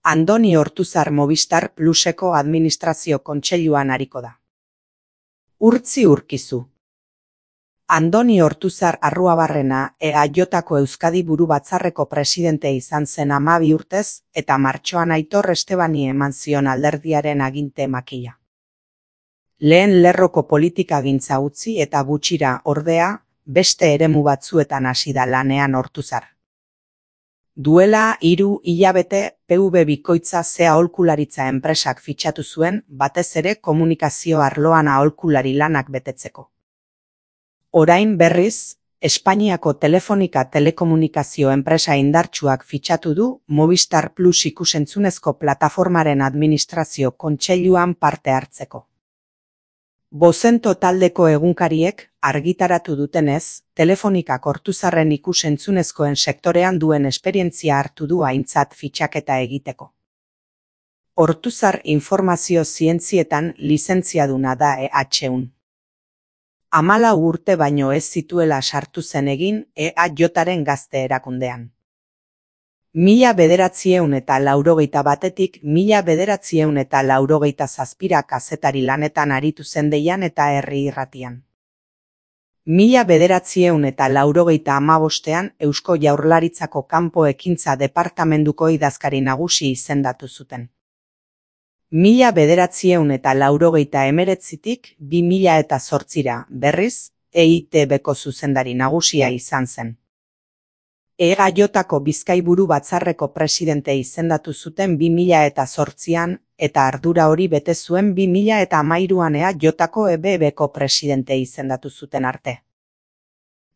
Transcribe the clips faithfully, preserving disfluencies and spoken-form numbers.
Andoni Ortuzar Movistar Pluseko administrazio kontseiluan ariko da. Urtzi Urkizu. Andoni Ortuzar Arruabarrena E A Jko Euskadi Buru Batzarreko presidente izan zen hamabi urtez eta martxoan Aitor Estebani eman zion alderdiaren aginte makila. Lehen lerroko politikagintza utzi eta gutxira, ordea, beste eremu batzuetan hasi da lanean Ortuzar. Duela hiru hilabete P V bikoitza ze aholkularitza enpresak fitxatu zuen, batez ere komunikazio arloan aholkulari lanak betetzeko. Orain berriz, Espainiako Telefonika telekomunikazio enpresa indartsuak fitxatu du Movistar Plus ikusentzunezko plataformaren administrazio kontseiluan parte hartzeko. Bozento taldeko egunkariek argitaratu dutenez, Telefonikak Ortuzarren ikus-entzunezkoen sektorean duen esperientzia hartu du aintzat fitxaketa egiteko. Ortuzar informazio zientzietan lizentziaduna da E H-un. Hamalau urte baino ez zituela sartu zen egin E A Jaren gazte erakundean. Mila bederatziehun eta laurogeita batetik mila bederatziehun eta laurogeita zazpira kazetari lanetan aritu zen Deian eta Herri Irratian. Mila bederatziehun eta laurogeita hamabostean Eusko Jaurlaritzako kanpo ekintza departamenduko idazkari nagusi izendatu zuten. Mila bederatziehun eta laurogeita hemeretzitik bi mila eta zortzira, berriz, E I T Bko zuzendari nagusia izan zen. E A Jko Bizkaiburu Batzarreko presidente izendatu zuten bi mila eta zortzian, eta ardura hori bete zuen bi mila eta hamairuan E A Jko E B Bko presidente izendatu zuten arte.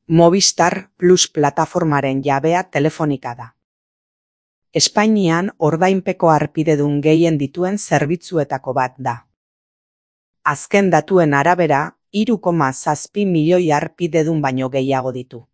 Movistar Plus plataformaren jabea Telefonika da. Espainian ordainpeko harpidedun gehien dituen zerbitzuetako bat da. Azken datuen arabera, hiru koma zazpi milioi harpidedun baino gehiago ditu.